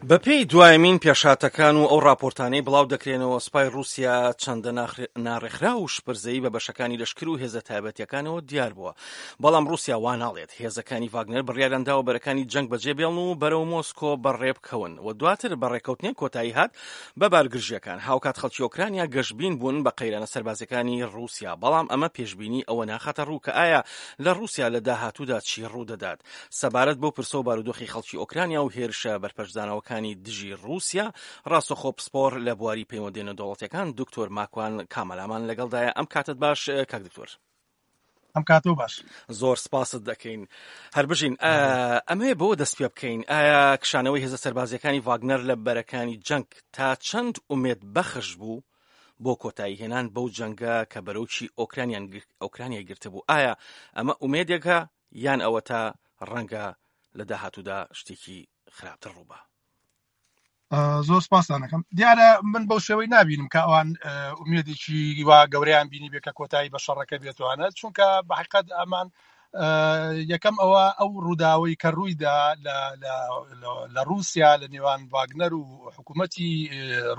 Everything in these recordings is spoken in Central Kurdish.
بەپێی دوایەمین پێشهاتەکان و ئەو ڕاپۆرتانەی بڵاو دەکرێنەوە، سوپای ڕووسیا چەندە ناڕێکخراو و شپرزەیی بە بەشەکانی لەشکر و هێزە تایبەتییەکانەوە دیار بووە. بەڵام ڕووسیا وا ناڵێت. هێزەکانی ڤاگنەر بڕیاریان داوە بەرەکانی جەنگ بەجێ بێڵن و بەرەو مۆسکۆ بەڕێ بکەون و دواتر بە ڕێککەوتنێک کۆتایی هات بە بارگرژییەکان. هاوکات خەڵکی ئۆکرانیا گەشبین بوون بە قەیرانە سەربازییەکانی ڕووسیا، بەڵام ئەمە پێشبینی ئەوە ناخاتە ڕوو کە ئایا لە ڕووسیا لە داهاتوودا چی ڕوودەدات. سەبارەت بەو پرسە و بارودۆخی خەڵکی ئۆکرانیا و هێرشە بەرپەرچدانەوەکانی دژی ڕووسیا، ڕاستەخۆ پسپۆڕ لە بواری پەیوەندیە نێودەوڵەتیەکان دکتۆر ماکوان کامەلامان لەگەڵدایە. ئەم کاتت باش کاک دکتۆر. ئەم کاتەو باش. زۆر سپاست دەکەین. هەر بژین. ئەمەوێ بەوە دەست پێ بکەین ئایا کشانەوەی هێزە سەربازیەکانی ڤاگنەر لە بەرەکانی جەنگ تا چەند ئومێد بەخش بوو بۆ کۆتایی هێنان بەو جەنگە کە بەرۆکی ئۆکرانیای گرتبوو؟ ئایا ئەمە ئومێدێکە یان ئەوەتا ڕەنگە لە داهاتوودا شتێکی خراپتر ڕووبا؟ زۆر سپاسانەکەم دیارە من بەو شێوەی نبینم کە ئەوان ئومێدێکی وا گەورەیان بینی بێ کە کۆتایی بە شەڕەکە بێتوانە چونکە بە حقیقت ئەمان یەکەم ئەوە ئەو ڕووداوەی کە ڕوویدا لە رووسیا لە نێوان واگنەر و حکوومەتی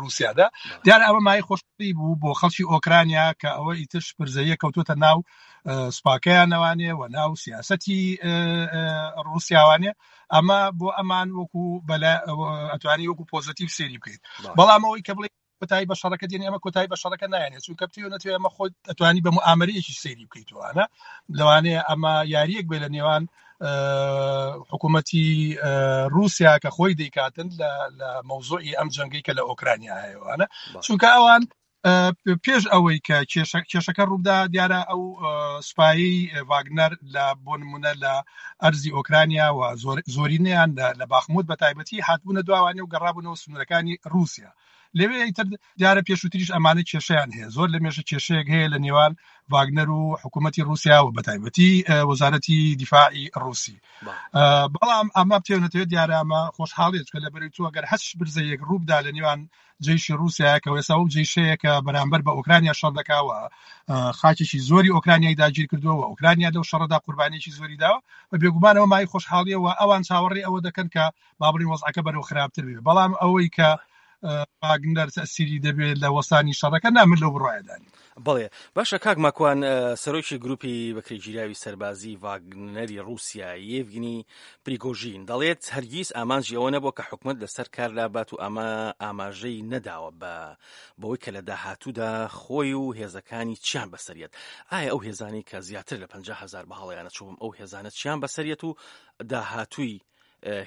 رووسیادا دیارە ئەمە مای خۆشی بوو بۆ خەڵکی ئۆکرانیا کە ئەوە ئیتر شپرزەیە کەوتوتە ناو سوپاکەیانەوانێ و ناو سیاسەتی ڕووسیاوانێ ئەمە بۆ ئەمان وەکو ئەتوانی وەکو پۆزتیو سێری بکەیت بەڵام ئەوەی کە بڵێ کۆتایی بە شەڕەکە دێنێ ئەمە کۆتایی بە شەڕەکە نایەنێت چونکە بتەوێ نەتەوێ ئەمە خۆت ئەتوانی بە موئامەرەیەکی سەیری بکەیتەوەە لەوانەیە ئەمە یاریەک بێ لە نێوان حکوومەتی رووسیا کە خۆی دەیکاتن لە مەوزوعی ئەم جەنگەی کە لە ئۆکرانیا هەیەوانە چونکە ئەوان پێش ئەوەی کە کێشەکە ڕووبدا دیارە ئەو سوپایی ڤاگنەر لە بۆ نمونە لە ئەرزی ئۆکرانیا و زۆرینەیان لە باخموت بە تایبەتی هاتبوونە دواوانێ و گەڕابوونەوە سنوورەکانی رووسیا لەوێ ئیتر دیارە پێشووتریش ئەمانە کێشەیان هەیە زۆر لە مێژە کێشەیەک هەیە لە نێوان ڤاگنەر و حکوومەتی رووسیا و بەتایبەتی وەزارەتی دیفاعی رووسی بەڵام ئەمە بتێنەتەوە دیارە ئەمە خۆشحاڵیە چکە لە بەرەی تۆ گەر هەچ برزەیەک ڕووبدا لە نێوان جەیشی ڕووسیایە کە ئێستا ئەو جەیشەیە کە بەرامبەر بە ئۆکرانیا شەڕ دەکا و خاکێکی زۆری ئۆکرانیای داگیر کردووە و ئۆکرانیا لەو شەڕەدا قوربانیی زۆری داوە و بێگومانەوە مای خۆشحاڵیە و ئەوان چاوەڕێی ئەوە دەکەن کە با بڵێین وەزعەکە بەرەو خراپتر بێ بەڵام ئەوەی کە واگنەر تەسیری دەبێت لە وەستانی شەڕەکە نا من لەو بڕوایەدا نیم. بەڵێ باشە کاک ماکوان سەرۆکی گروپی بەکرێگیراوی سەربازی ڤاگنەری ڕووسیا یێڤگنی پریگۆژین دەڵێت هەرگیز ئامانجی ئەوە نەبووە کە حکومەت لەسەر کار لابات و ئەمە ئاماژەی نەداوە بە بەوەی کە لە داهاتوودا خۆی و هێزەکانی چیان بەسەریەت ئایا ئەو هێزانەی کە زیاتر لە 50 هزار بە هەڵەیانە چووم ئەو هێزانە چیان بەسەریەت و داهاتووی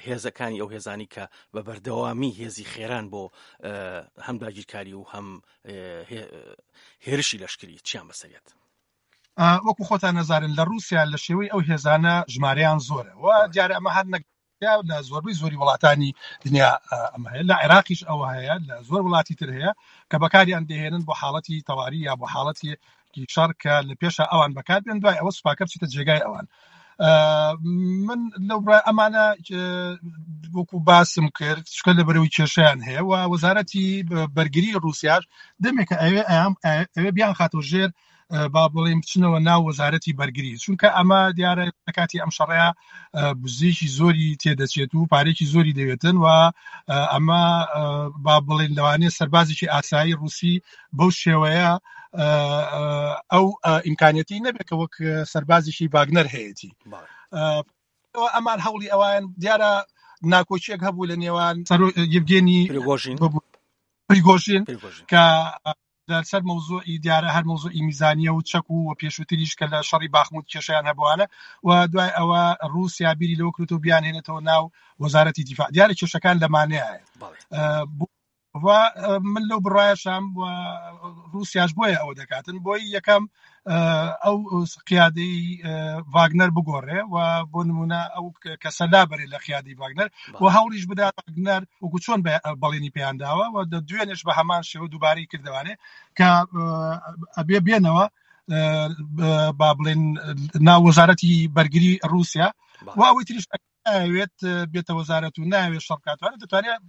هێزەکانی ئەو هێزانی کە بە بەردەوامی هێزی خێران بۆ هەم داگیرکاری و هەم هێرشی لەشکری چیان بەسەریەت؟ وەکو خۆتان نەزارن لە رووسیا لە شێوەی ئەو هێزانە ژمارەیان زۆرە و دیارە ئەمە هەر نەک لە زۆربەی زۆری وڵاتانی دنیا ئەمە هەیە لە عێراقیش ئەوە هەیە لە زۆر وڵاتی تر هەیە کە بەکاریان دەهێنن بۆ حاڵەتی تەواری یا بۆ حاڵەتی شەڕ کە لە پێشە ئەوان بەکار بێن دوای ئەوە سوپاکە بچێتە جێگای ئەوان من لەو ئەمانە وەکو باسم کرد چکە لە بەرەوەی کێشیان هەیە و وەزارەتی بەرگری رووسیاش دەمێکە ئەوێ ئەوێ بیان خاتۆ ژێر با بڵێین بچنەوە ناو وەزارەتی بەرگری چونکە ئەمە دیارە لە کاتی ئەم شەڕەیە بزێکی زۆری تێدەچێت و پارێکی زۆری دەوێتن و ئەمە با بڵێن لەوانەیە سەربازێکی ئاسایی رووسی بەو شێوەیە ئەو ئیمکانەتی نەبێت کە وەک سەربازێکی ڤاگنەر هەیەی ئەمان هەوڵی ئەوان دیارە ناکۆکیەک هەبوو لە نێوان یڤگێنی پریگۆژین کە لەسەر مەوزوعی دیارە هەر مەوزوعی میزانیە و چەک و پێشووتریش کە لە شەڕی باخموت کێشیان هەبووانە و دوای ئەوە رووسیا بیری لەوە کردو بیانهێنێتەوە ناو وەزارەتی دیفاع دیارە کێشەکان لەمانەیە و من لەو بڕایەشام و رووسیاش بۆیە ئەوە دەکاتن بۆی یەکەم ئەو قیادەی ڤاگنەر بگۆڕێ و بۆ نمونە ئەو کەسە لابەرێ لە قیادی ڤاگنەر و هەوڵیش بدات ڤاگنەر وەکو چۆن بەڵێنی پێیان داوە و دوێنێش بە هەمان شێوە دووبارەی کردوانێ کە ئەبێ بێنەوە با بڵێن ناو وەزارەتی بەرگری رووسیا و ئەوەی تریش. ناوێت بێتە وەزارەت و ناوێت شەڕ بکاتوانێت دەتوانێت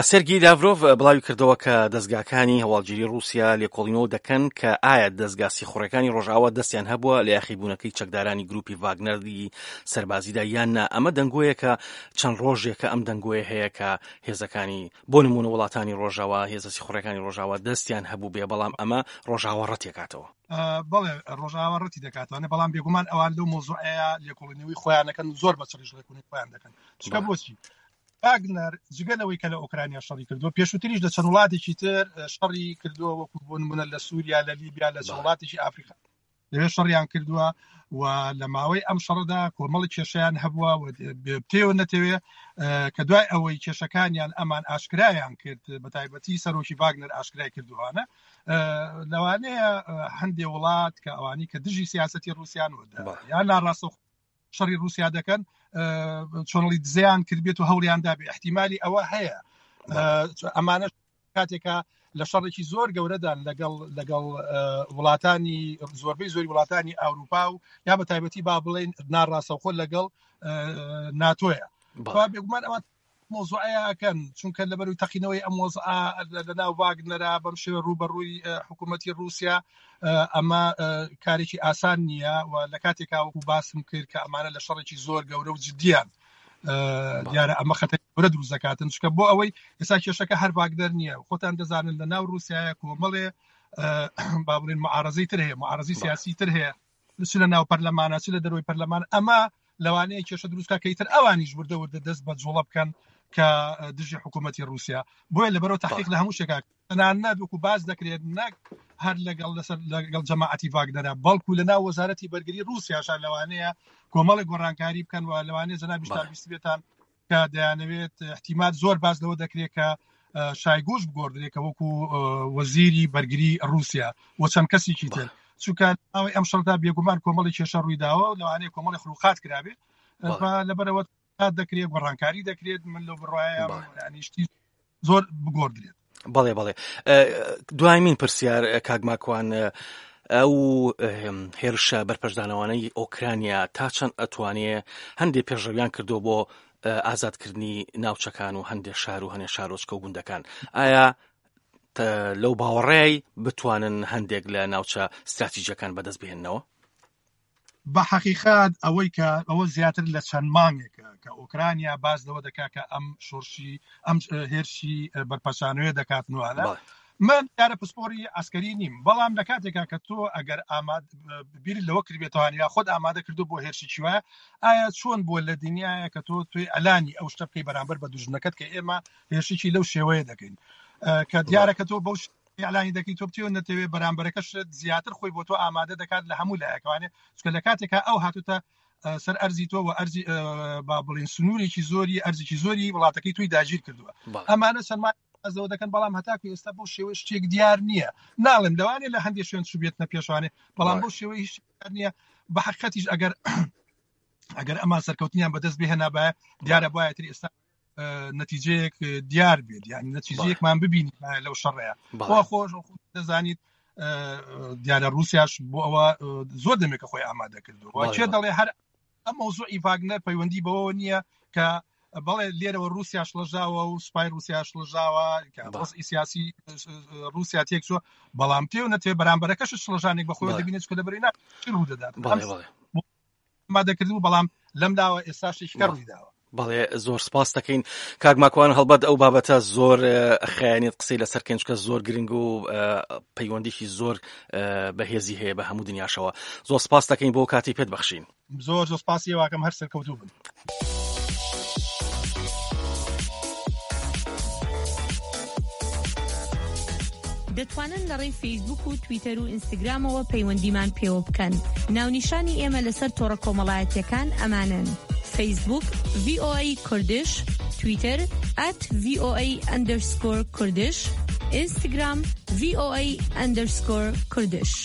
سێرگی لاڤرۆڤ بڵاوی کردەوە کە دەزگاکانی هەواڵگیری ڕووسیا لێکۆڵینەوە دەکەن کە ئایا دەزگا سیخوڕەکانی ڕۆژئاوا دەستیان هەبووە لە یاخیبوونەکەی چەکدارانی گروپی ڤاگنەری سەربازیدا یان نا. ئەمە دەنگۆیەکە چەند ڕۆژێکە ئەم دەنگۆیە هەیە کە هێزەکانی بۆ نموونە وڵاتانی ڕۆژاوا هێزە سیخوڕەکانی ڕۆژاوا دەستیان هەبوو بێ، بەڵام ئەمە ڕۆژاوا ڕەتێکاتەوە. بەڵێ ڕۆژاوا ڕەتی دەکاتەوە، بەڵام بێگومان ئەوان لەو مەوزوعەیە لێکۆڵینەوەی خۆیان دەکەن و زۆر بە چڕیش ڕێکوونی خۆیان دەکەن. چونکە بۆچی؟ ڤاگنەر جگە لەوەی کە لە ئۆکرانیا شەڕی کردووە، پێشووتریش لە چەند وڵاتێکی تر شەڕی کردووە، وەکو بۆ نموونە لە سووریا، لە لیبیا، لە چەند وڵاتێکی ئافریقا لەوێ شەڕیان کردووە و لە ماوەی ئەم شەڕەدا کۆمەڵی کێشیان هەبووە و بتەوێ نەتەوێ کە دوای ئەوەی کێشەکانیان ئەمان ئاشکرایان کرد، بە تایبەتی سەرۆکی ڤاگنەر ئاشکرای کردووانە، لەوانەیە هەندێ وڵات کە ئەوانی کە دژی سیاسەتی ڕووسیان و یان ناڕاستەوخۆ شەڕی ڕووسیا دەکەن چۆنڵی دزیان کردبێت و هەوڵیان دابێ احتیممالی ئەوە هەیە ئەمانە کاتێکە لە شەڕێکی زۆر گەورەدان لەگەڵ لەگەڵ وڵاتانی زۆربەی زۆری وڵاتانی ئەوروپا و یا بە تایبەتی با بڵێن ناڕاستەوخۆ لەگەڵ ناتۆیە بێگومان ئەوان مەوزوعەیە ئەکەن چونکە لەبەروی تەقینەوەی ئەم وەزعە لە ناو ڤاگنەرا بەم شێوە ڕووبەڕووی حکوومەتی ڕووسیا ئەمە کارێکی ئاسان نییە و لە کاتێکا وەکو باسم کرد کە ئەمانە لە شەڕێکی زۆر گەورە و جدیان دیارە ئەمە خەتەر گەورە دروست دەکاتن چونکە بۆ ئەوەی ئێستا کێشەکە هەر ڤاگنەر نییە خۆتان دەزانن لە ناو ڕووسایە کۆمەڵێ با بڵێن معارەزەی تر هەیە معارەزەی سیاسی تر هەیە چ لە ناو پەرلەمانە چ لە دەرەوەی پەرلەمان ئەمە لەوانەیە کێشە دروست بکات کە ئیتر ئەوانیش وردە وردە دەست بە جوڵە بکەن کە دژی حکوومەتی رووسیا بۆیە لەبەرەوە تحقیق لە هەموو شتێکا تەنانەت وەکو باس دەکرێت نەک هەر لەگەڵ لەسەر لەگەڵ جەماعەتی ڤاگنەرە بەڵکو لە ناو وەزارەتی بەرگری رووسیاشا لەوانەیە کۆمەڵێک گۆڕانکاری بکەن و لەوانەیە جەنابیشتان بیستبێتان کە دەیانەوێت احتیمال زۆر باس لەوە دەکرێت کە شایگوش بگۆڕدرێت کە وەکو وەزیری بەرگری رووسیا و چەند کەسێکی تر چونکە ئەوەی ئەم شەڕدا بێگومان کۆمەڵی کێشە ڕوویداوە لەوانەیە کۆمەڵی خروقات کرابێت لەبەرەوە دەکرێت گۆڕانکاری دەکرێت من لەو بڕوایم ینیشتی زۆر بگۆڕدرێت. بەڵێ بەڵێ دوایمین پرسیار کاک ماکوان ئەو هێرشە بەرپەرچدانەوانەی ئۆکرانیا تا چەند ئەتوانێ هەندێک پێشڕەویان کردو بۆ ئازادکردنی ناوچەکان و هەندێک شار و هەنێ شارۆچکە و گوندەکان ئایا لەو باوەڕەی بتوانن هەندێک لە ناوچە استراتیژەکان بەدەست بهێننەوە؟ بە حەقیقەت ئەوەی کە ئەوە زیاتر لە چەند مانگێکە کە ئۆکرانیا باس لەوە دەکات کە ئەم شۆرشی ئەم هێرشی بەرپەچانەوەی دەکات نوانە من دیارە پسپۆری عسکەری نیم بەڵام لە کاتێکا کە تۆ ئەگەر ئاماد بیر لەوە کردبێتوان یا خۆت ئامادە کردو بۆ هێرشی وایە ئایا چۆن بووە لە دنیاە کە تۆ توی ئەلانی ئەو شتە بکەی بەرامبەر بە دوژمنەکەت کە ئێمە هێرشێکی لەو شێوەیە دەکەین کە دیارە کە تۆ بەو ئیعلانی دەکەی تۆ بتەوێ نەتەوێ بەرامبەرەکەشت زیاتر خۆی بۆ تۆ ئامادە دەکات لە هەموو لایەکوانێ چونکە لە کاتێکا ئەو هاتوتە سەر ئەرزی تۆ و ئەرزی با بڵین سنوورێکی زۆری ئەرزێکی زۆری وڵاتەکەی توی داگیر کردووە ئەمانە چەند ئەزەوە دەکەن بەڵام هەتاکو ئێستا بۆ شێوەی شتێک دیار نییە ناڵێم لەوانێ لە هەندێک شوێن چوبێتنە پێشوانێ بەڵام بۆ شێوەی هیچ نییە بە حقیقەتیش ئەگەر ئەگەر ئەمان سەرکەوتنیان بەدەست بهێنابایە دیارە بایەتر ئێستا نەتیجەیەک دیار بێت یعنی نەتیجەیەکمان ببینی لەو شەڕەیە بۆ خۆش دەزانیت دیارە رووسیاش بۆ ئەوە زۆر دەمێکە خۆی ئامادە کردو چێ دەڵێ هەر ئەم مەوزوعی ڤاگنەر پەیوەندی بەوە نییە کە بەڵێ لێرەوە رووسیا شڵەژاوە و سوپای رووسیا شڵەژاوە کە وەزعی سیاسی رووسیا تێکچووە بەڵام تێ و نەتێ بەرامبەرەکەش شڵەژانێک بەخۆی دەبینێت کە لەبەری نا ڕوو دەدات ئامادەکردبوو بەڵام لەم لاوە ئێستا شتێکی کە ڕوویداوە. بەڵێ زۆر سپاس دەکەین کاک ماکوان هەڵبەت ئەو بابەتە زۆر خیانێت قسەی لەسەر کەین چکە زۆر گرنگ و پەیوەندیکی زۆر بەهێزی هەیە بە هەموو دنیاشەوە زۆر سپاس دەکەین بۆ کاتی پێت بەخشین زۆر زۆر سپاسی واکەم هەر سەرکەوتوو بن. دەتوانن لە ڕێی فەیسبووک و تویتەر و ئینستگرامەوە پەیوەندیمان پێوە بکەن. ناونیشانی ئێمە لەسەر تۆڕە کۆمەڵایەتییەکان ئەمانەن، فەیسبووک، VOA Kurdish، تویتەر، at VOA underscore Kurdish، ئینستگرام، VOA underscore Kurdish.